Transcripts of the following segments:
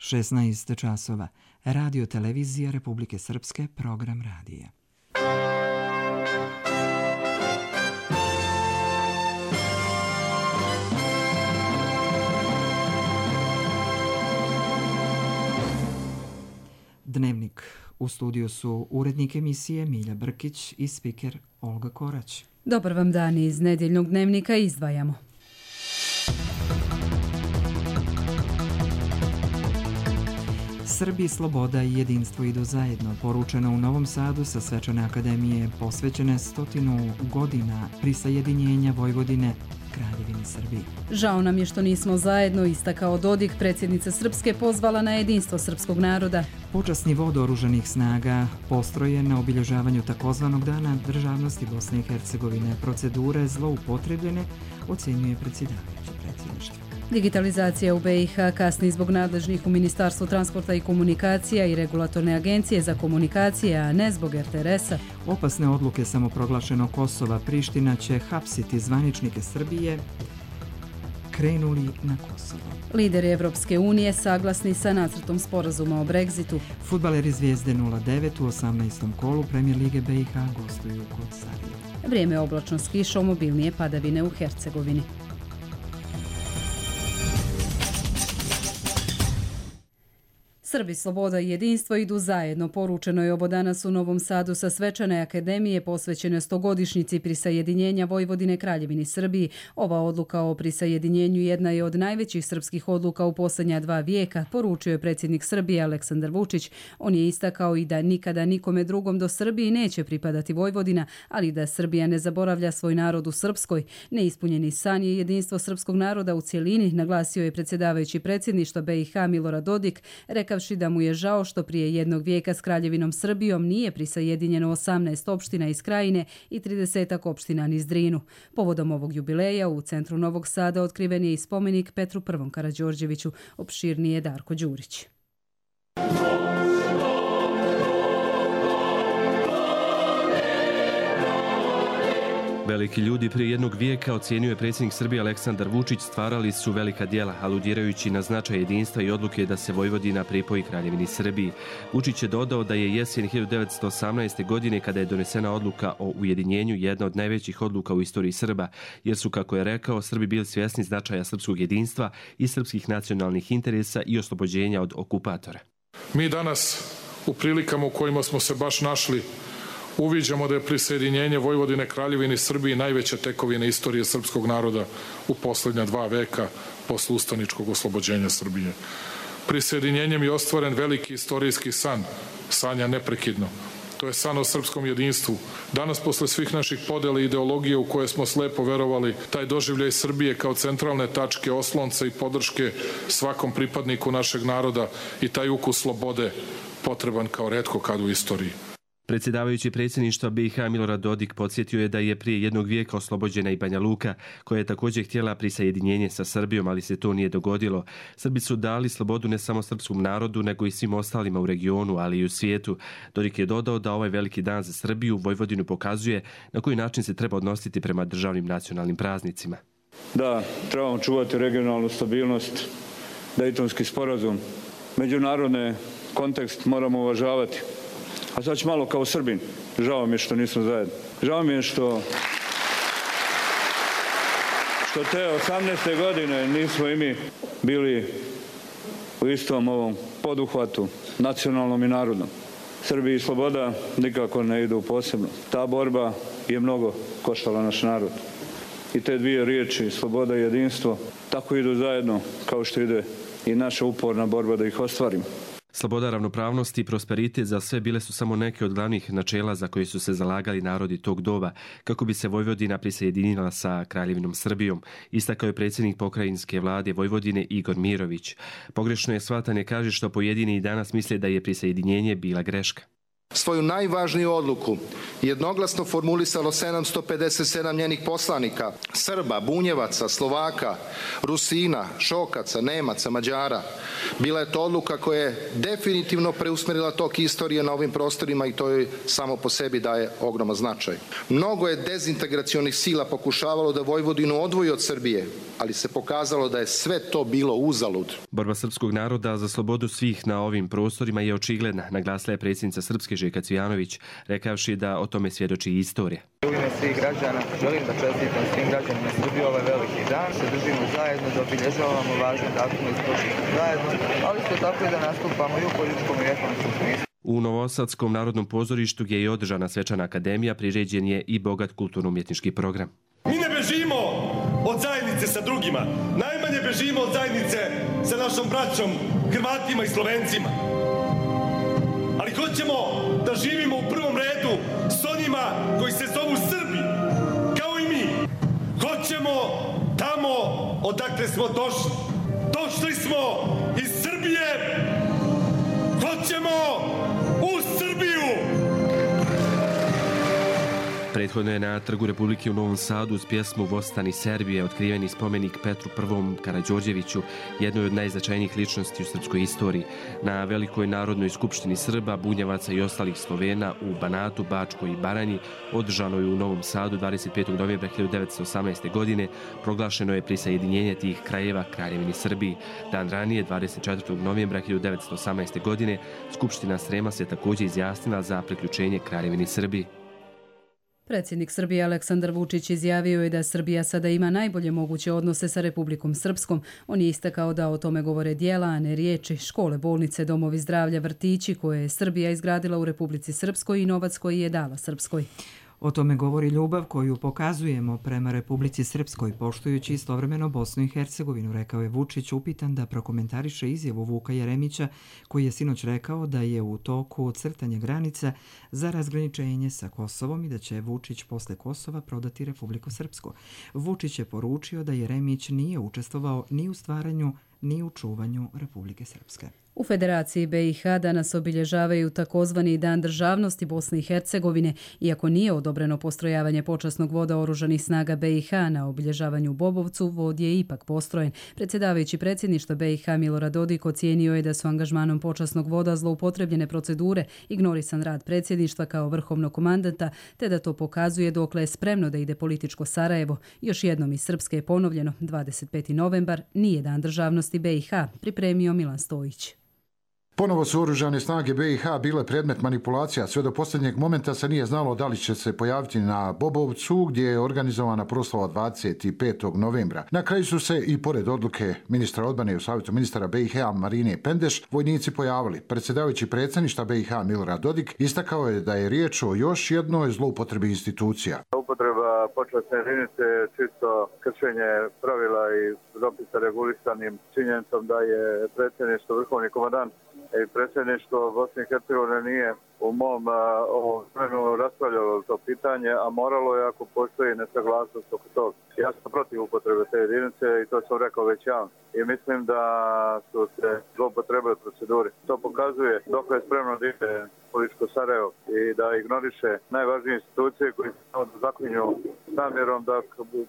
16 časova. Radio Televizija Republike Srpske, program radija. Dnevnik. U studiju su urednik emisije Milja Brkić i spiker Olga Korać. Dobar vam dan, iz nedjeljnog dnevnika izdvajamo. Srbiji sloboda i jedinstvo idu zajedno, poručeno u Novom Sadu sa Svečane akademije posvećene 100 godina prisajedinjenja Vojvodine Kraljevini Srbiji. Žao nam je što nismo zajedno, istakao Dodik. Predsjednica Srpske pozvala na jedinstvo srpskog naroda. Počasni vod oružanih snaga postrojen na obilježavanju takozvanog dana državnosti Bosne i Hercegovine. Procedure zloupotrebljene ocjenjuje predsjedavajući predsjedništva. Digitalizacija u BiH kasni zbog nadležnih u Ministarstvu transporta i komunikacija i Regulatorne agencije za komunikacije, a ne zbog RTRS-a. Opasne odluke samoproglašenog Kosova. Priština će hapsiti zvaničnike Srbije krenuli na Kosovo. Lideri Evropske unije saglasni sa nacrtom sporazuma o Brexitu. Fudbaleri Zvijezde 09 u 18. kolu Premijer Lige BiH gostuju kod Sarajeva. Vrijeme oblačno s kišom, obilnije padavine u Hercegovini. Srbi, sloboda i jedinstvo idu zajedno, poručeno je ovo danas u Novom Sadu sa Svečane akademije posvećene 100-godišnjici prisajedinjenja Vojvodine Kraljevini Srbiji. Ova odluka o prisajedinjenju jedna je od najvećih srpskih odluka u posljednja 2 vijeka, poručio je predsjednik Srbije Aleksandar Vučić. On je istakao i da nikada nikome drugom do Srbiji neće pripadati Vojvodina, ali da Srbija ne zaboravlja svoj narod u Srpskoj. Neispunjeni san je jedinstvo srpskog naroda u cjelini, naglasio je predsjedavajući predsjedništva BiH Milorad Dodik, rekavši da mu je žao što prije jednog vijeka s Kraljevinom Srbijom nije prisajedinjeno 18 opština iz Krajine i 30 opština niz Drinu. Povodom ovog jubileja u centru Novog Sada otkriven je i spomenik Petru I. Karađorđeviću, opširnije Darko Đurić. Veliki ljudi prije jednog vijeka, ocjenjuje je predsjednik Srbije Aleksandar Vučić, stvarali su velika djela, aludirajući na značaj jedinstva i odluke da se Vojvodina pripoji Kraljevini Srbiji. Vučić je dodao da je jesen 1918. godine, kada je donesena odluka o ujedinjenju, jedna od najvećih odluka u istoriji Srba, jer su, kako je rekao, Srbi bili svjesni značaja srpskog jedinstva i srpskih nacionalnih interesa i oslobođenja od okupatora. Mi danas, u prilikama u kojima smo se baš našli, uviđamo da je prisajedinjenje Vojvodine Kraljevini Srbiji najveća tekovina istorije srpskog naroda u posljednja 2 veka posle ustaničkog oslobođenja Srbije. Prisajedinjenjem je ostvaren veliki istorijski san, sanja neprekidno. To je san o srpskom jedinstvu. Danas, posle svih naših podela i ideologije u koje smo slepo verovali, taj doživljaj Srbije kao centralne tačke, oslonca i podrške svakom pripadniku našeg naroda i taj ukus slobode potreban kao retko kad u istoriji. Predsjedavajući predsjedništva BiH Milorad Dodik podsjetio je da je prije jednog vijeka oslobođena i Banja Luka, koja je također htjela prisajedinjenje sa Srbijom, ali se to nije dogodilo. Srbi su dali slobodu ne samo srpskom narodu, nego i svim ostalima u regionu, ali i u svijetu. Dodik je dodao da ovaj veliki dan za Srbiju Vojvodinu pokazuje na koji način se treba odnositi prema državnim nacionalnim praznicima. Da, trebamo čuvati regionalnu stabilnost, Dejtonski sporazum, međunarodni kontekst moramo uvažavati. A sad ću malo kao Srbin. Žao mi je što nismo zajedno. Žao mi je što te 18. godine nismo i mi bili u istom ovom poduhvatu, nacionalnom i narodnom. Srbiji i sloboda nikako ne idu posebno. Ta borba je mnogo koštala naš narod. I te dvije riječi, sloboda i jedinstvo, tako idu zajedno kao što ide i naša uporna borba da ih ostvarimo. Sloboda, ravnopravnost i prosperitet za sve bile su samo neke od glavnih načela za koje su se zalagali narodi tog doba, kako bi se Vojvodina prisajedinila sa Kraljevinom Srbijom, istakao je predsjednik pokrajinske vlade Vojvodine Igor Mirović. Pogrešno je shvatanje, kaže, što pojedini i danas misle da je prisajedinjenje bila greška. Svoju najvažniju odluku jednoglasno formulisalo 757 njenih poslanika, Srba, Bunjevaca, Slovaka, Rusina, Šokaca, Nemaca, Mađara. Bila je to odluka koja je definitivno preusmerila tok istorije na ovim prostorima i to joj samo po sebi daje ogroman značaj. Mnogo je dezintegracionih sila pokušavalo da Vojvodinu odvoji od Srbije, ali se pokazalo da je sve to bilo uzalud. Borba srpskog naroda za slobodu svih na ovim prostorima je očigledna, naglasila je predsjednica Srpske Željka Cvijanović, rekavši da o tome svjedoči i istorija. U ime svih građana želim da čestitam svim građanima Srbije ovaj veliki dan, se držimo zajedno, da obilježavamo važne datume iz prošlosti zajedno, ali isto tako i da nastupamo i u političkom i ekonomskom smislu. U Novosadskom narodnom pozorištu gdje je održana svečana akademija priređen je i bogat kulturno-umjetnički program. Mi ne bežimo od zajednice sa drugima, najmanje bežimo od zajednice sa našom braćom, Hrvatima i Slovencima. Ali hoćemo da živimo u prvom redu s onima koji se zovu Srbi, kao i mi. Hoćemo tamo odakle smo došli. Došli smo iz Srbije, hoćemo u Srbiju. Prethodno je na Trgu Republike u Novom Sadu uz pjesmu Vostani Serbije otkriveni spomenik Petru I. Karađorđeviću, jednoj od najznačajnijih ličnosti u srpskoj istoriji. Na Velikoj narodnoj skupštini Srba, Bunjevaca i ostalih Slovena u Banatu, Bačkoj i Baranji, održano je u Novom Sadu 25. novembra 1918. godine, proglašeno je prisajedinjenje tih krajeva Kraljevini Srbiji. Dan ranije, 24. novembra 1918. godine, Skupština Srema se također izjasnila za priključenje Kraljevini Srbiji. Predsjednik Srbije Aleksandar Vučić izjavio je da Srbija sada ima najbolje moguće odnose sa Republikom Srpskom. On je istakao da o tome govore djela, a ne riječi, škole, bolnice, domovi zdravlja, vrtići koje je Srbija izgradila u Republici Srpskoj i novac koji je dala Srpskoj. O tome govori ljubav koju pokazujemo prema Republici Srpskoj, poštujući istovremeno Bosnu i Hercegovinu, rekao je Vučić, upitan da prokomentariše izjavu Vuka Jeremića, koji je sinoć rekao da je u toku crtanja granica za razgraničenje sa Kosovom i da će Vučić posle Kosova prodati Republiku Srpsku. Vučić je poručio da Jeremić nije učestvovao ni u stvaranju ni u čuvanju Republike Srpske. U Federaciji BiH danas obilježavaju takozvani Dan državnosti Bosne i Hercegovine, iako nije odobreno postrojavanje počasnog voda Oružanih snaga BiH na obilježavanju u Bobovcu, vod je ipak postrojen. Predsjedavajući predsjedništva BiH Milorad Dodik ocijenio je da su angažmanom počasnog voda zloupotrebljene procedure, ignorisan rad predsjedništva kao vrhovnog komandanta, te da to pokazuje dokle je spremno da ide političko Sarajevo. Još jednom iz Srpske je ponovljeno, 25. novembar nije Dan državnosti BiH, pripremio Milan Stojić. Ponovo su oružane snage BiH bile predmet manipulacija. Sve do posljednjeg momenta se nije znalo da li će se pojaviti na Bobovcu, gdje je organizovana proslava 25. novembra. Na kraju su se i pored odluke ministra odbrane u Savjetu ministara BiH Marine Pendeš vojnici pojavili. Predsjedavajući predsjedništva BiH Milorad Dodik istakao je da je riječ o još jednoj zloupotrebi institucija. Upotreba počasne jedinice je čisto kršenje pravila i dopisa regulisanim činjenicom da je predsjedništvo vrhovni komandant i predsjedništvo Bosne i Hercegovine nije u mom vremenu raspravljalo to pitanje, a moralo je ako postoji nesaglasnost oko toga. Ja sam protiv upotrebe te jedinice i to sam rekao već javno. I mislim da su se zloupotrebile procedure. To pokazuje dok je spremno da ide političko Sarajevo i da ignoriše najvažnije institucije koji se zaklinju s namjerom da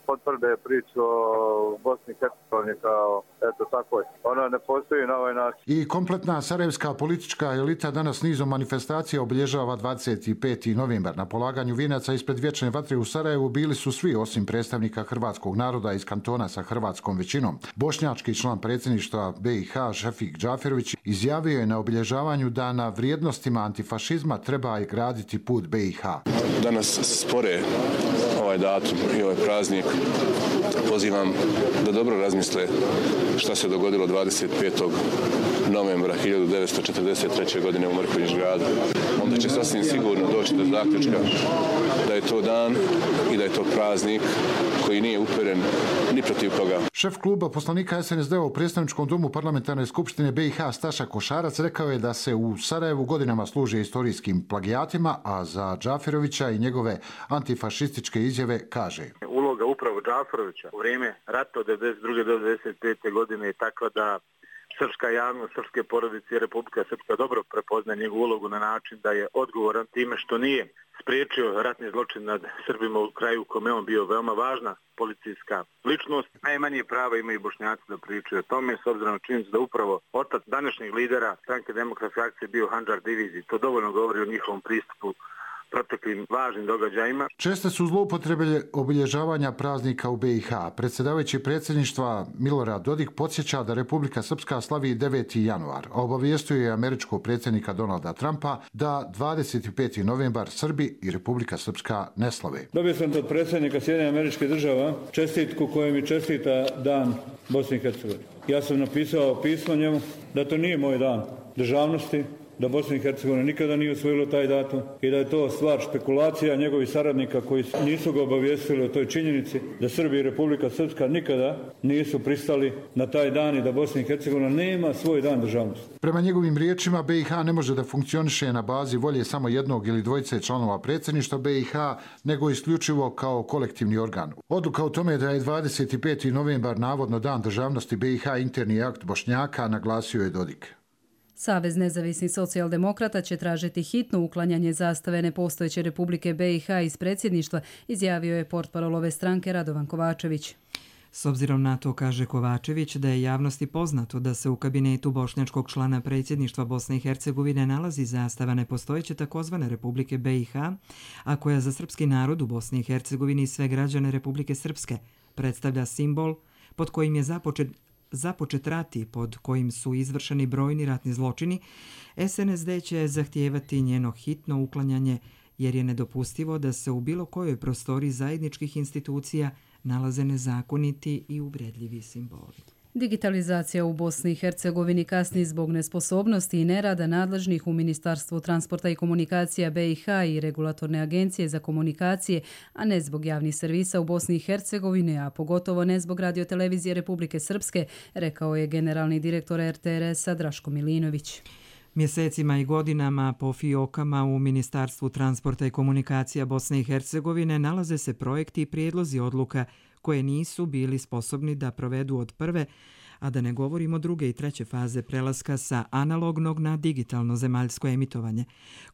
potvrde priču o Bosni i Hercegovini kao eto tako je. Ona ne postoji na ovaj način. I kompletna sarajevska politička elita danas nizom manifestacija obilježava 25. novembar. Na polaganju vijenaca ispred vječne vatre u Sarajevu bili su svi osim predstavnika hrvatskog naroda iz kantona sa hrvatskom većinom. Bošnjački član predsjedništva BiH Šefik Džaferović izjavio je na obilježavanju da na vrijednostima antifašizma treba i graditi put BiH. Danas spore ovaj datum i ovaj praznik. Pozivam da dobro razmisle šta se dogodilo 25. novembra 1943. godine u Mrkonjić-gradu. Onda će sasvim sigurno doći do zaključka da je to dan i da je to praznik koji nije uperen ni protiv koga. Šef kluba poslanika SNSD u predstavničkom domu parlamentarne skupštine BiH Staša Košarac rekao je da se u Sarajevu godinama služe istorijskim plagijatima, a za Džaferovića i njegove antifašističke izjave kaže: Uloga upravo Džaferovića u vrijeme rata od 1992. do 1995. godine je takva da srpska javnost, srpske porodice i Republika Srpska dobro prepoznaje njegovu ulogu na način da je odgovoran time što nije spriječio ratni zločin nad Srbima u kraju u kome on bio veoma važna policijska ličnost. Najmanje prava imaju Bošnjaci da pričaju o tome, s obzirom na činjenicu da upravo otac današnjeg lidera Stranke demokratske akcije bio Handžar diviziji. To dovoljno govori o njihovom pristupu proteklim važnim događajima. Česte su zloupotrebe obilježavanja praznika u BiH. Predsjedavajući predsjedništva Milorad Dodik podsjeća da Republika Srpska slavi 9. januar. Obavijestio je američkog predsjednika Donalda Trumpa da 25. novembar Srbi i Republika Srpska ne slave. Dobio sam od predsjednika Sjedinjenih Američkih Država čestitku koju mi čestita dan Bosne i Hercegovine. Ja sam napisao pismo njemu da to nije moj dan državnosti, da Bosna i Hercegovina nikada nije usvojila taj datum i da je to stvar špekulacija njegovih saradnika koji nisu ga obavijestili o toj činjenici da Srbija i Republika Srpska nikada nisu pristali na taj dan i da Bosna i Hercegovina nema svoj dan državnosti. Prema njegovim riječima, BiH ne može da funkcioniše na bazi volje samo jednog ili dvojice članova predsjedništva BiH, nego isključivo kao kolektivni organ. Odluka o tome da je 25. novembar navodno dan državnosti BiH interni akt Bošnjaka, naglasio je Dodik. Savez nezavisnih socijaldemokrata će tražiti hitno uklanjanje zastave nepostojeće Republike BiH iz predsjedništva, izjavio je portparol ove stranke Radovan Kovačević. S obzirom na to, kaže Kovačević, da je javnosti poznato da se u kabinetu bošnjačkog člana predsjedništva Bosne i Hercegovine nalazi zastava nepostojeće takozvane Republike BiH, a koja za srpski narod u Bosni i Hercegovini i sve građane Republike Srpske predstavlja simbol pod kojim je započet rat i pod kojim su izvršeni brojni ratni zločini, SNSD će zahtijevati njeno hitno uklanjanje jer je nedopustivo da se u bilo kojoj prostoriji zajedničkih institucija nalaze nezakoniti i uvredljivi simboli. Digitalizacija u Bosni i Hercegovini kasni zbog nesposobnosti i nerada nadležnih u Ministarstvu transporta i komunikacija BiH i Regulatorne agencije za komunikacije, a ne zbog javnih servisa u Bosni i Hercegovini, a pogotovo ne zbog radiotelevizije Republike Srpske, rekao je generalni direktor RTRS-a Draško Milinović. Mjesecima i godinama po fiokama u Ministarstvu transporta i komunikacija Bosne i Hercegovine nalaze se projekti i prijedlozi odluka koje nisu bili sposobni da provedu od prve, a da ne govorimo druge i treće faze prelaska sa analognog na digitalno zemaljsko emitovanje.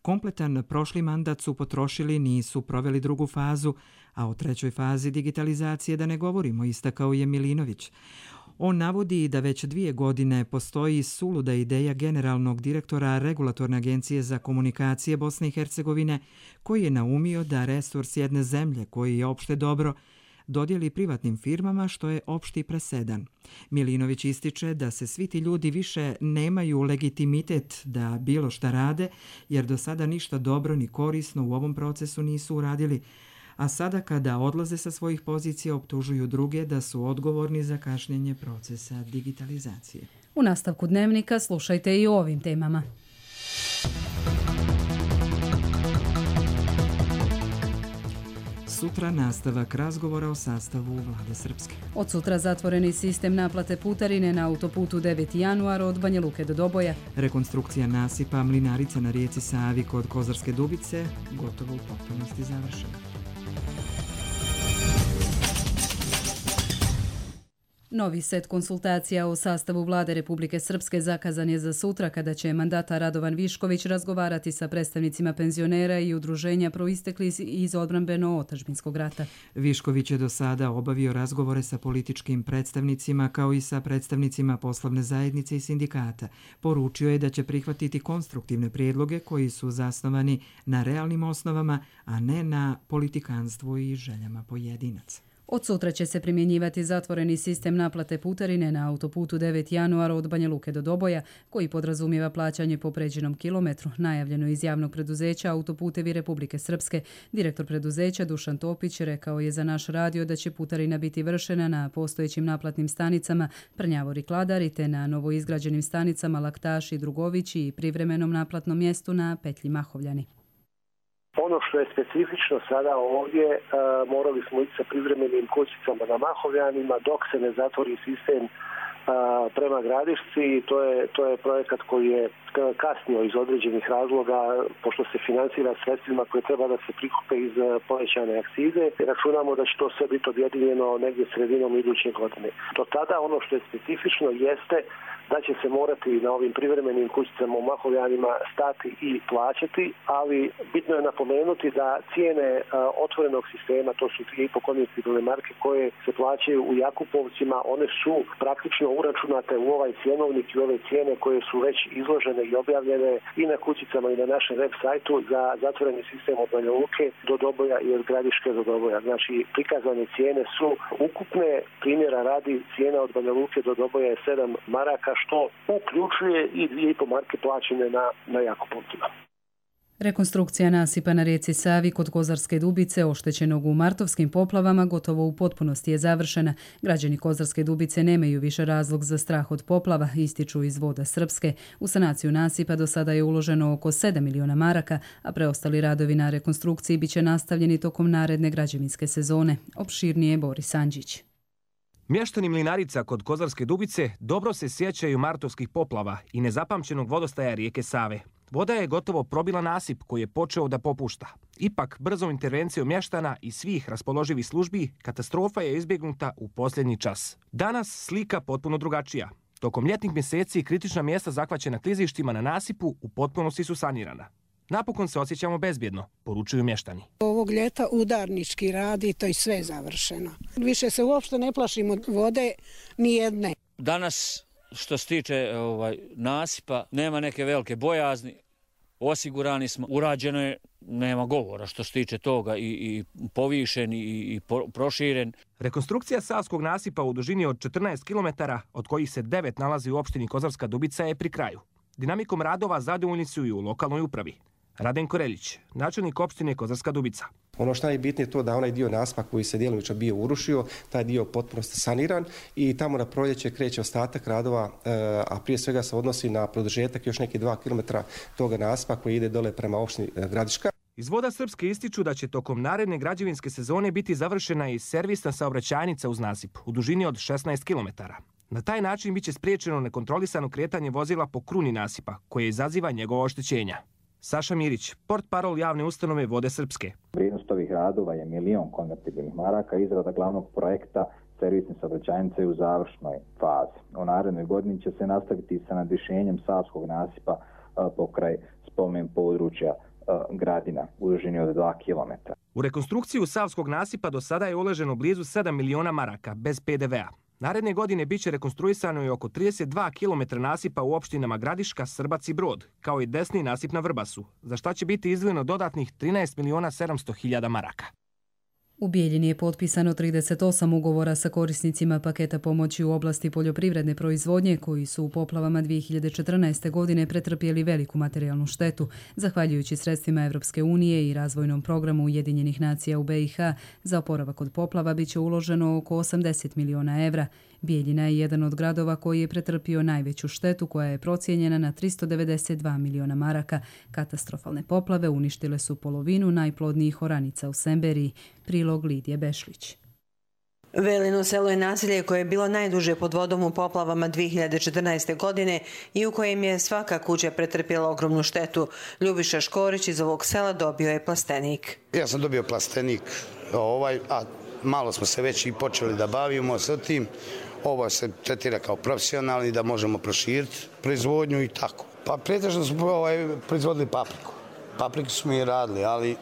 Kompletan prošli mandat su potrošili, nisu proveli drugu fazu, a o trećoj fazi digitalizacije da ne govorimo, istakao je Milinović. On navodi da već 2 godine postoji suluda ideja generalnog direktora Regulatorne agencije za komunikacije Bosne i Hercegovine, koji je naumio da resurs jedne zemlje, koji je opšte dobro, dodijeli privatnim firmama, što je opšti presedan. Milinović ističe da se svi ti ljudi više nemaju legitimitet da bilo šta rade, jer do sada ništa dobro ni korisno u ovom procesu nisu uradili, a sada kada odlaze sa svojih pozicija optužuju druge da su odgovorni za kašnjenje procesa digitalizacije. U nastavku dnevnika slušajte i o ovim temama. Sutra nastavak razgovora o sastavu vlade Srpske. Od sutra zatvoreni sistem naplate putarine na autoputu 9. januar od Banja Luke do Doboja. Rekonstrukcija nasipa Mlinarica na rijeci Savi kod Kozarske Dubice gotovo u potpunosti završena. Novi set konsultacija o sastavu vlade Republike Srpske zakazan je za sutra, kada će mandatar Radovan Višković razgovarati sa predstavnicima penzionera i udruženja proistekli iz odbrambeno-otadžbinskog rata. Višković je do sada obavio razgovore sa političkim predstavnicima kao i sa predstavnicima poslovne zajednice i sindikata. Poručio je da će prihvatiti konstruktivne prijedloge koji su zasnovani na realnim osnovama, a ne na politikanstvu i željama pojedinaca. Od sutra će se primjenjivati zatvoreni sistem naplate putarine na autoputu 9. januara od Banja Luke do Doboja, koji podrazumijeva plaćanje po pređenom kilometru, najavljeno iz javnog preduzeća Autoputevi Republike Srpske. Direktor preduzeća Dušan Topić rekao je za naš radio da će putarina biti vršena na postojećim naplatnim stanicama Prnjavor i Kladari, te na novoizgrađenim stanicama Laktaš i Drugovići i privremenom naplatnom mjestu na petlji Mahovljani. Ono što je specifično sada ovdje, morali smo ići sa privremenim kućicama na Mahovljanima dok se ne zatvori sistem prema Gradišci. To je projekat koji je kasnio iz određenih razloga, pošto se financira sredstvima koje treba da se prikupe iz povećane akcize. Računamo da će to sve biti objedinjeno negdje sredinom iduće godine. Do tada ono što je specifično jeste da će se morati na ovim privremenim kućicama u Mahovljanima stati i plaćati, ali bitno je napomenuti da cijene otvorenog sistema, to su 3,5 konvencionalne marke koje se plaćaju u Jakupovcima, one su praktično uračunate u ovaj cjenovnik i ove cijene koje su već izložene i objavljene i na kućicama i na našem web sajtu za zatvoreni sistem od Banja Luke do Doboja i od Gradiške do Doboja. Znači, prikazane cijene su ukupne, primjera radi, cijena od Banja Luke do Doboja je 7 maraka, što uključuje i 2,5 marke plaćene na Jakupovcima. Rekonstrukcija nasipa na rijeci Savi kod Kozarske Dubice, oštećenog u martovskim poplavama, gotovo u potpunosti je završena. Građani Kozarske Dubice nemaju više razlog za strah od poplava, ističu iz Voda Srpske. U sanaciju nasipa do sada je uloženo oko 7 miliona maraka, a preostali radovi na rekonstrukciji biće nastavljeni tokom naredne građevinske sezone. Opširnije Boris Andžić. Mještani Mlinarica kod Kozarske Dubice dobro se sjećaju martovskih poplava i nezapamćenog vodostaja rijeke Save. Voda je gotovo probila nasip koji je počeo da popušta. Ipak, brzom intervencijom mještana i svih raspoloživih službi, katastrofa je izbjegnuta u posljednji čas. Danas slika potpuno drugačija. Tokom ljetnih mjeseci kritična mjesta zahvaćena klizištima na nasipu u potpunosti su sanirana. Napokon se osjećamo bezbjedno, poručuju mještani. Ovog ljeta udarnički radi, to je sve završeno. Više se uopšte ne plašimo vode ni jedne. Danas, što se tiče nasipa, nema neke velike bojazni, osigurani smo, urađeno je, nema govora što se tiče toga, i povišen i proširen. Rekonstrukcija Savskog nasipa u dužini od 14 km, od kojih se 9 nalazi u opštini Kozarska Dubica, je pri kraju. Dinamikom radova zadovoljni su i u lokalnoj upravi. Radenko Reljić, načelnik opštine Kozarska Dubica. Ono što je najbitnije je to da onaj dio nasipa koji se djelomično bio urušio, taj dio potpuno saniran i tamo na proljeće kreće ostatak radova, a prije svega se odnosi na produžetak još neki 2 km toga nasipa koji ide dole prema opštini Gradiška. Iz Voda Srpske ističu da će tokom naredne građevinske sezone biti završena i servisna saobraćajnica uz nasip u dužini od 16 km. Na taj način biće spriječeno nekontrolisano kretanje vozila po kruni nasipa, koje izaziva njegovo oštećenja. Saša Mirić, portparol javne ustanove Vode Srpske. Vrijednost ovih radova je 1 milion konvertibilnih maraka, izrada glavnog projekta servisne saobraćajnice u završnoj fazi. U narednoj godini će se nastaviti sa nadvišenjem Savskog nasipa pokraj spomen područja Gradina u dužini od 2 km. U rekonstrukciju Savskog nasipa do sada je uloženo blizu 7 miliona maraka bez PDV-a. Naredne godine biće rekonstruisano i oko 32 km nasipa u opštinama Gradiška, Srbac i Brod, kao i desni nasip na Vrbasu, za šta će biti izdvojeno dodatnih 13 miliona 700 hiljada maraka. U Bijeljini je potpisano 38 ugovora sa korisnicima paketa pomoći u oblasti poljoprivredne proizvodnje koji su u poplavama 2014. godine pretrpjeli veliku materijalnu štetu. Zahvaljujući sredstvima Evropske unije i razvojnom programu Ujedinjenih nacija u BiH, za oporavak od poplava biće uloženo oko 80 miliona evra. Bijeljina je jedan od gradova koji je pretrpio najveću štetu koja je procijenjena na 392 miliona maraka. Katastrofalne poplave uništile su polovinu najplodnijih oranica u Semberiji. Prilog Lidije Bešlić. Velino selo je naselje koje je bilo najduže pod vodom u poplavama 2014. godine i u kojem je svaka kuća pretrpjela ogromnu štetu. Ljubiša Škorić iz ovog sela dobio je plastenik. Ja sam dobio plastenik, a malo smo se već i počeli da bavimo sa tim. Ovo se tretira kao profesionalni, da možemo proširiti proizvodnju i tako. Pa pretežno smo proizvodili papriku. Papriku smo i radili, ali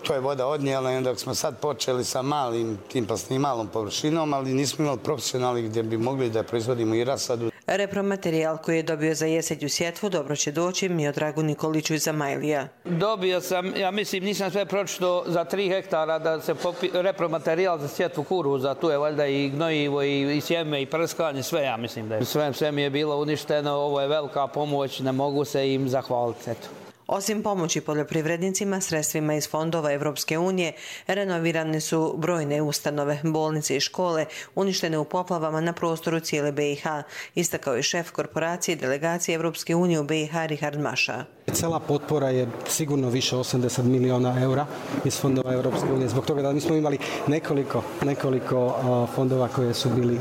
to je voda odnijela i onda smo sad počeli sa malom površinom, ali nismo imali profesionalni gdje bi mogli da proizvodimo i rasadu. Repromaterijal koji je dobio za jesenju sjetvu dobro će doći Miodragu Nikoliću iz Zamajlija. Dobio sam, ja mislim, nisam sve pročito za 3 hektara da se repromaterijal za sjetvu kuruza, tu je valjda i gnojivo i sjeme i prskanje, sve ja mislim da je. Sve mi je bilo uništeno, ovo je velika pomoć, ne mogu se im zahvaliti. Eto. Osim pomoći poljoprivrednicima, sredstvima iz fondova Evropske unije, renovirane su brojne ustanove, bolnice i škole, uništene u poplavama na prostoru cijele BiH, istakao je šef korporacije delegacije Evropske unije u BiH Richard Maša. Cela potpora je sigurno više 80 miliona eura iz fondova Europske unije. Zbog toga da mi smo imali nekoliko fondova koje su bili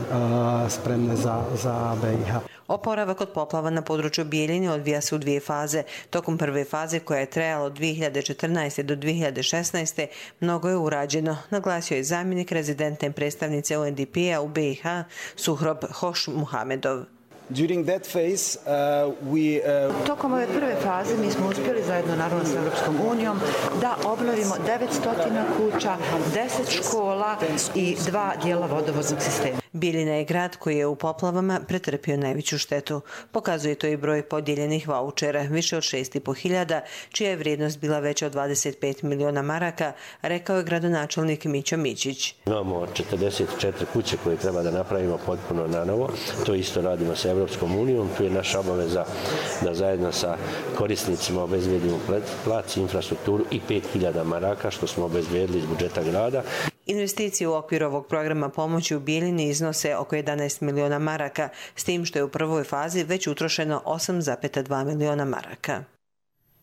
spremne za BiH. Oporavak od poplava na području Bijeljine odvija se u 2 faze. Tokom prve faze, koja je trajala od 2014. do 2016. mnogo je urađeno, naglasio je zamjenik rezidentne predstavnice UNDP-a u BiH Suhrob Hošmuhamedov. Tokom ove prve faze mi smo uspjeli zajedno naravno sa Europskom unijom da obnovimo 900 kuća, 10 škola i 2 dijela vodovodnog sistema. Bijeljina je grad koji je u poplavama pretrpio najveću štetu. Pokazuje to i broj podijeljenih vaučera, više od 6.500, čija je vrijednost bila veća od 25 miliona maraka, rekao je gradonačelnik Mićo Mićić. Imamo 44 kuće koje treba da napravimo potpuno na novo. To isto radimo sa Europskom unijom. Tu je naša obaveza da zajedno sa korisnicima obezbedimo plac, infrastrukturu i 5.000 maraka, što smo obezbedili iz budžeta grada. Investicije u okviru ovog programa pomoći u Bijeljini iznose oko 11 miliona maraka, s tim što je u prvoj fazi već utrošeno 8,2 miliona maraka.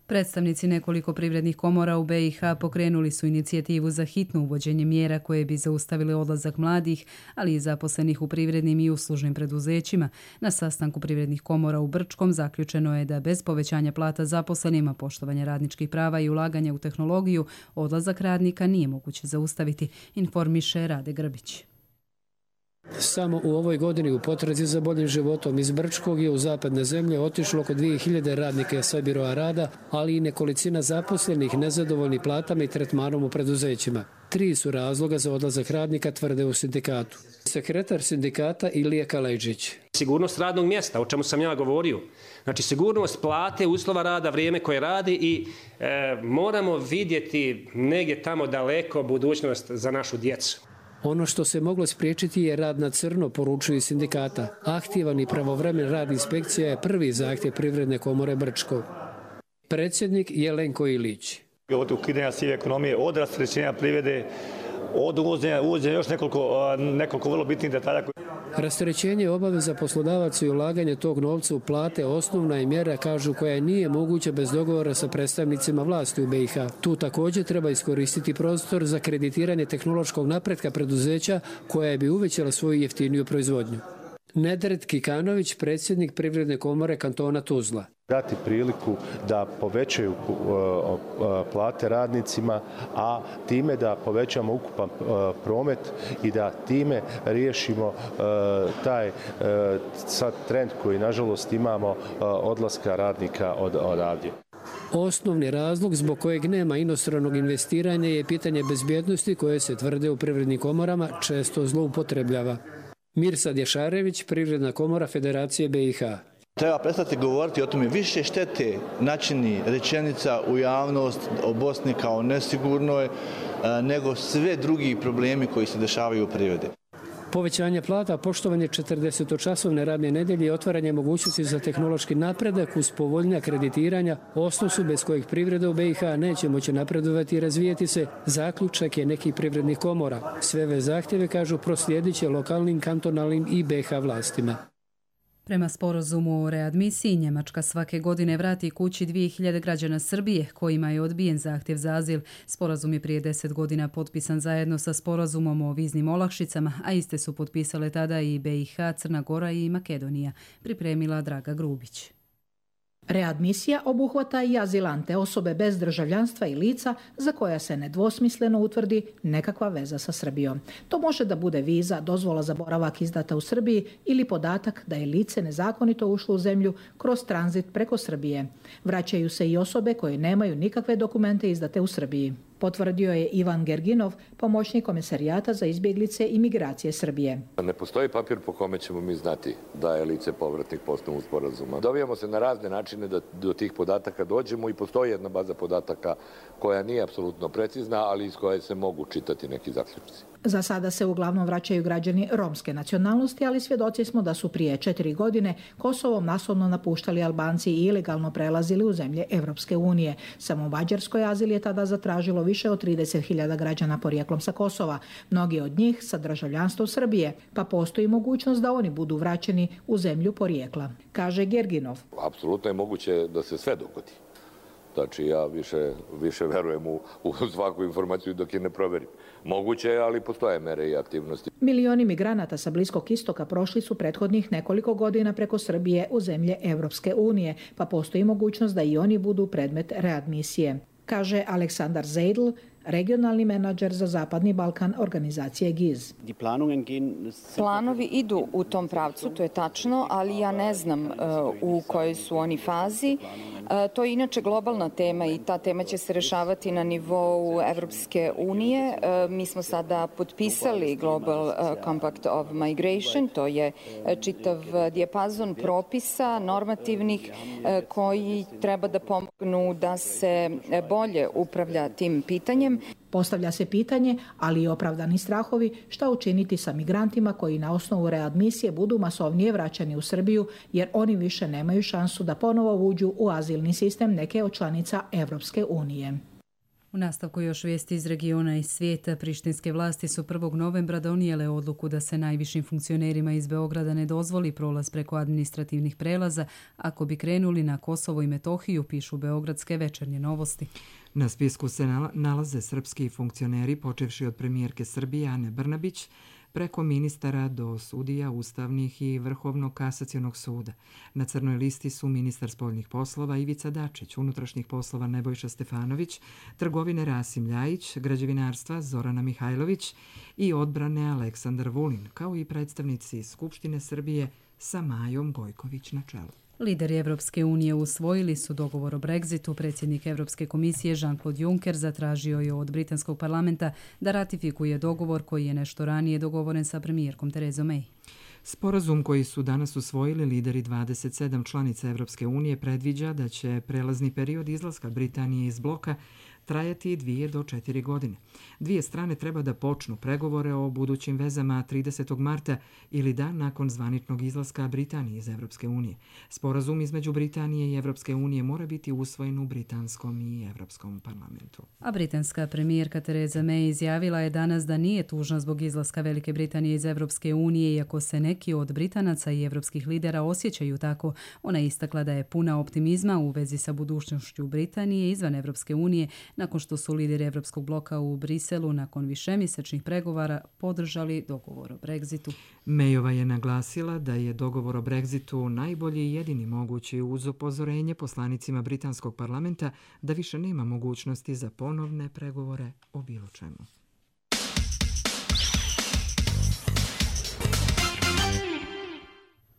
Predstavnici nekoliko privrednih komora u BiH pokrenuli su inicijativu za hitno uvođenje mjera koje bi zaustavile odlazak mladih, ali i zaposlenih u privrednim i uslužnim preduzećima. Na sastanku privrednih komora u Brčkom zaključeno je da bez povećanja plata zaposlenima, poštovanja radničkih prava i ulaganja u tehnologiju, odlazak radnika nije moguće zaustaviti, informiše Rade Grbić. Samo u ovoj godini u potrazi za boljim životom iz Brčkog je u zapadne zemlje otišlo oko 2000 radnika sa biroa rada, ali i nekolicina zaposlenih nezadovoljni platama i tretmanom u preduzećima. 3 su razloga za odlazak radnika, tvrde u sindikatu. Sekretar sindikata Ilija Kalejđić. Sigurnost radnog mjesta, o čemu sam ja govorio. Znači sigurnost plate, uslova rada, vrijeme koje radi i moramo vidjeti negdje tamo daleko budućnost za našu djecu. Ono što se moglo spriječiti je rad na crno, poručuju sindikata. Aktivan i pravovremen rad inspekcija je prvi zahtjev Privredne komore Brčko. Predsjednik Jelenko Ilić. Od ukidanja sive ekonomije, od rasterećenja privrede, od uvođenja još nekoliko vrlo bitnih detalja. Rasterećenje obaveza poslodavaca i ulaganje tog novca u plate osnovna je mjera, kažu, koja nije moguća bez dogovora sa predstavnicima vlasti u BiH. Tu također treba iskoristiti prostor za kreditiranje tehnološkog napretka preduzeća koja bi uvećala svoju jeftiniju proizvodnju. Nedret Kikanović, predsjednik Privredne komore kantona Tuzla. Dati priliku da povećaju plate radnicima, a time da povećamo ukupan promet i da time riješimo taj sad trend koji nažalost imamo odlaska radnika odavdje. Osnovni razlog zbog kojeg nema inostranog investiranja je pitanje bezbjednosti koje se, tvrde u privrednim komorama, često zloupotrebljava. Mirsad Ješarević, Privredna komora Federacije BiH. Treba prestati govoriti o tome, više štete načini rečenica u javnost o Bosni kao nesigurnoj nego sve drugi problemi koji se dešavaju u privredi. Povećanje plata, poštovanje 40-časovne radne nedelje i otvaranje mogućnosti za tehnološki napredak uz povoljnija kreditiranja osnov su bez kojih privreda u BiH neće moći napredovati i razvijeti se, zaključak je nekih privrednih komora. Sve ove zahtjeve, kažu, proslijedit će lokalnim, kantonalnim i BiH vlastima. Prema sporazumu o readmisiji, Njemačka svake godine vrati kući 2000 građana Srbije kojima je odbijen zahtjev za azil. Sporazum je prije 10 godina potpisan zajedno sa sporazumom o viznim olakšicama, a iste su potpisale tada i BiH, Crna Gora i Makedonija, pripremila Draga Grubić. Readmisija obuhvata i azilante, osobe bez državljanstva i lica za koja se nedvosmisleno utvrdi nekakva veza sa Srbijom. To može da bude viza, dozvola za boravak izdata u Srbiji ili podatak da je lice nezakonito ušlo u zemlju kroz tranzit preko Srbije. Vraćaju se i osobe koje nemaju nikakve dokumente izdate u Srbiji. Potvrdio je Ivan Gerginov, pomoćnik Komesarijata za izbjeglice i migracije Srbije. Ne postoji papir po kome ćemo mi znati da je lice povratnik po osnovu sporazuma. Dobijamo se na razne načine da do tih podataka dođemo i postoji jedna baza podataka koja nije apsolutno precizna, ali iz koje se mogu čitati neki zaključci. Za sada se uglavnom vraćaju građani romske nacionalnosti, ali svjedoci smo da su prije 4 godine Kosovom masovno napuštali Albanci i ilegalno prelazili u zemlje Evropske unije. Samo u Mađarskoj azil je tada zatražilo više od 30.000 građana porijeklom sa Kosova, mnogi od njih sa državljanstvom Srbije, pa postoji mogućnost da oni budu vraćeni u zemlju porijekla, kaže Gerginov. Apsolutno je moguće da se sve dogodi. Znači ja više verujem u svaku informaciju dok je ne proverim. Moguće je, ali postoje mere i aktivnosti. Milioni migranata sa Bliskog istoka prošli su prethodnih nekoliko godina preko Srbije u zemlje Evropske unije, pa postoji mogućnost da i oni budu predmet readmisije, kaže Aleksandar Zeidl, regionalni menadžer za Zapadni Balkan organizacije GIZ. Planovi idu u tom pravcu, to je tačno, ali ja ne znam u kojoj su oni fazi. To je inače globalna tema i ta tema će se rešavati na nivou Evropske unije. Mi smo sada potpisali Global Compact of Migration, to je čitav dijapazon propisa normativnih koji treba da pomognu da se bolje upravlja tim pitanjem. Postavlja se pitanje, ali i opravdani strahovi, šta učiniti sa migrantima koji na osnovu readmisije budu masovnije vraćani u Srbiju, jer oni više nemaju šansu da ponovo uđu u azilni sistem neke od članica Evropske unije. U nastavku još vijesti iz regiona i svijeta. Prištinske vlasti su 1. novembra donijele odluku da se najvišim funkcionerima iz Beograda ne dozvoli prolaz preko administrativnih prelaza ako bi krenuli na Kosovo i Metohiju, pišu beogradske Večernje novosti. Na spisku se nalaze srpski funkcioneri, počevši od premijerke Srbije Ane Brnabić, preko ministara do sudija ustavnih i Vrhovnog kasacionog suda. Na crnoj listi su ministar spoljnih poslova Ivica Dačić, unutrašnjih poslova Nebojša Stefanović, trgovine Rasim Ljajić, građevinarstva Zorana Mihajlović i odbrane Aleksandar Vulin, kao i predstavnici Skupštine Srbije sa Majom Gojković na čelu. Lideri Evropske unije usvojili su dogovor o Brexitu. Predsjednik Evropske komisije Jean-Claude Juncker zatražio je od britanskog parlamenta da ratifikuje dogovor koji je nešto ranije dogovoren sa premijerkom Terezom May. Sporazum koji su danas usvojili lideri 27 članica Evropske unije predviđa da će prelazni period izlaska Britanije iz bloka trajati 2 do 4 godine. Dvije strane treba da počnu pregovore o budućim vezama 30. marta ili dan nakon zvaničnog izlaska Britanije iz Evropske unije. Sporazum između Britanije i Evropske unije mora biti usvojen u britanskom i Evropskom parlamentu. A britanska premijerka Tereza May izjavila je danas da nije tužna zbog izlaska Velike Britanije iz Evropske unije, iako se neki od Britanaca i evropskih lidera osjećaju tako. Ona je istakla da je puna optimizma u vezi sa budućnošću Britanije izvan Evropske unije, nakon što su lideri Evropskog bloka u Briselu nakon višemjesečnih pregovora podržali dogovor o Brexitu. Mayova je naglasila da je dogovor o Brexitu najbolji i jedini mogući uz upozorenje poslanicima britanskog parlamenta da više nema mogućnosti za ponovne pregovore o bilo čemu.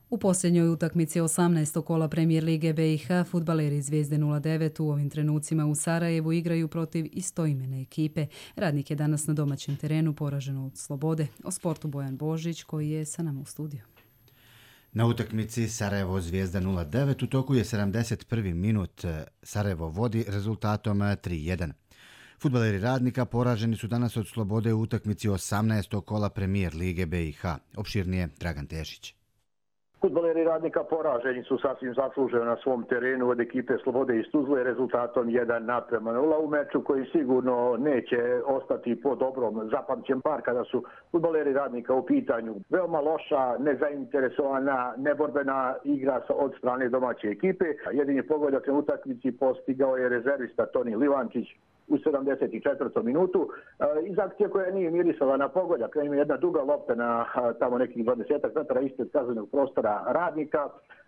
U posljednjoj utakmici 18. kola Premijer Lige BiH fudbaleri Zvijezde 09 u ovim trenucima u Sarajevu igraju protiv istoimene ekipe. Radnik je danas na domaćem terenu poražen od Slobode. O sportu Bojan Božić koji je sa nama u studiju. Na utakmici Sarajevo Zvijezda 09 u toku je 71. minut. Sarajevo vodi rezultatom 3-1. Fudbaleri Radnika poraženi su danas od Slobode u utakmici 18. kola Premijer Lige BiH. Opširnije Dragan Tešić. Fudbaleri Radnika poraženi su sasvim zasluženo na svom terenu od ekipe Slobode iz Tuzle rezultatom 1-0 u meču koji sigurno neće ostati po dobrom zapamćen bar kada su fudbaleri Radnika u pitanju. Veoma loša, nezainteresovana, neborbena igra od strane domaće ekipe. Jedini pogodak na utakmici postigao je rezervista Toni Livančić u 74. minutu. Iz akcije koja nije mirisala na pogodak, ima jedna duga lopta na tamo nekih 20 metara ispred kaznenog prostora Radnika.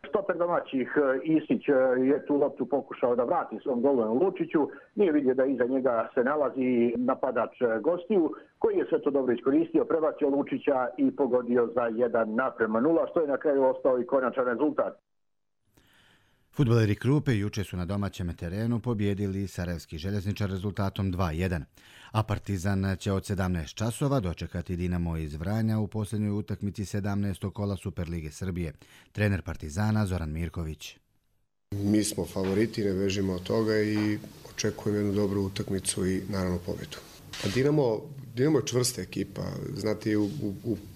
Stoper domaćih Isić je tu loptu pokušao da vrati svom golmanu Lučiću. Nije vidio da iza njega se nalazi napadač gostiju, koji je sve to dobro iskoristio, prebacio Lučića i pogodio za 1-0, što je na kraju ostao i konačan rezultat. Fudbaleri Krupe juče su na domaćem terenu pobjedili Sarajevski željezničar rezultatom 2-1, a Partizan će od 17 časova dočekati Dinamo iz Vranja u posljednjoj utakmici 17. kola Superlige Srbije. Trener Partizana Zoran Mirković. Mi smo favoriti, ne bežimo od toga i očekujemo jednu dobru utakmicu i naravno pobjedu. Dinamo je čvrsta ekipa. Znate,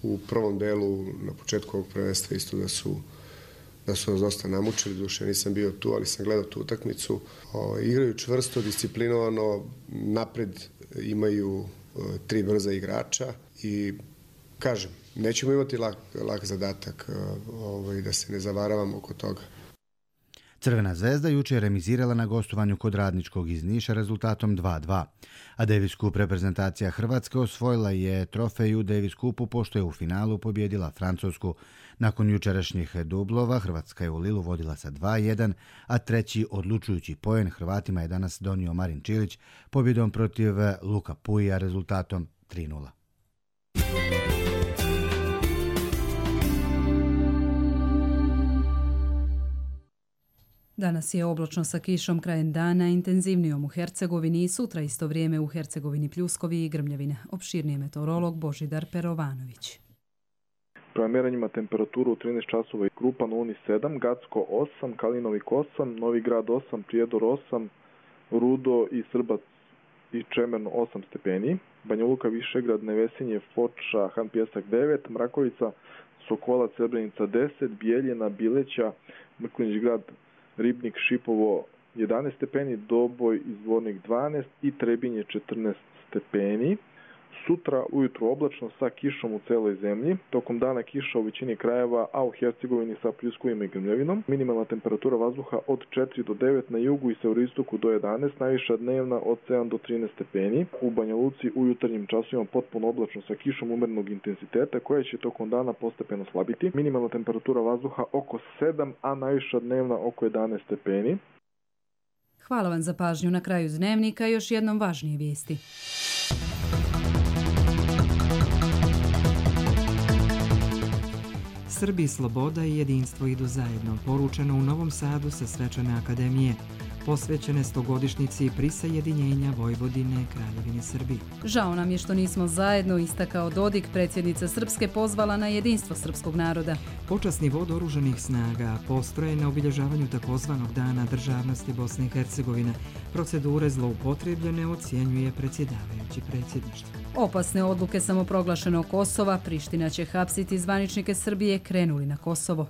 u prvom delu na početku ovog prvenstva isto da su nas dosta namučili, duše nisam bio tu, ali sam gledao tu utakmicu. Igraju čvrsto, disciplinovano, napred imaju 3 brza igrača i kažem, nećemo imati lak zadatak da se ne zavaravamo oko toga. Crvena zvezda juče je remizirala na gostovanju kod Radničkog iz Niša rezultatom 2:2. A Davis Cup reprezentacija Hrvatske osvojila je trofej u Davis Cupu pošto je u finalu pobjedila Francusku. Nakon jučerašnjih dublova Hrvatska je u Lilu vodila sa 2:1, a treći odlučujući poen Hrvatima je danas donio Marin Čilić pobjedom protiv Luka Puija rezultatom 3:0. Danas je oblačno sa kišom krajem dana, intenzivnijom u Hercegovini i sutra isto vrijeme u Hercegovini pljuskovi i grmljavine. Opširnije meteorolog Božidar Perovanović. Prema mjerenjima temperaturu u 13 časova i Krupan, Uni 7, Gacko 8, Kalinovik 8, Novi Grad 8, Prijedor 8, Rudo i Srbac i Čemerno 8 stepeni, Banja Luka, Višegrad, Nevesinje, Foča, Han Pjesak 9, Mrakovica, Sokolac, Srebrenica 10, Bijeljina, Bileća, Mrkonjić Grad, Ribnik, Šipovo 11 stepeni, Doboj i Zvornik 12 i Trebinje 14 stepeni. Sutra ujutro oblačno sa kišom u celoj zemlji. Tokom dana kiša u većini krajeva, a u Hercegovini sa pljuskovima i grmljavinom. Minimalna temperatura vazduha od 4 do 9 na jugu i severoistoku do 11, najviša dnevna od 7 do 13 stepeni. U Banja Luci u jutarnjim časovima potpuno oblačno sa kišom umerenog intenziteta koja će tokom dana postepeno slabiti. Minimalna temperatura vazduha oko 7, a najviša dnevna oko 11 stepeni. Hvala vam za pažnju. Na kraju dnevnika još jednom važnije vijesti. Srbi, sloboda i jedinstvo idu zajedno, poručeno u Novom Sadu sa Svečane akademije, posvećene 100-godišnjici prisajedinjenja Vojvodine Kraljevini Srbiji. Žao nam je što nismo zajedno, istakao Dodik, predsjednica Srpske pozvala na jedinstvo srpskog naroda. Počasni vod oružanih snaga postroje na obilježavanju takozvanog Dana državnosti Bosne i Hercegovine. Procedure zloupotrebljene ocjenjuje predsjedavajući predsjedništva. Opasne odluke samoproglašenog Kosova, Priština će hapsiti zvaničnike Srbije krenuli na Kosovo.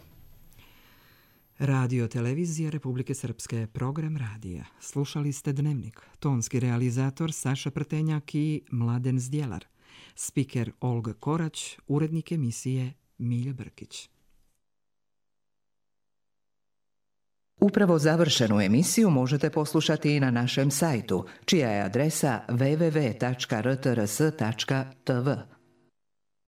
Radio televizija Republike Srpske, program radija. Slušali ste Dnevnik. Tonski realizator Saša Prtenjak i Mladen Zdjelar. Spiker Olga Korać, urednik emisije Milja Brkić. Upravo završenu emisiju možete poslušati i na našem sajtu, čija je adresa www.rtrs.tv.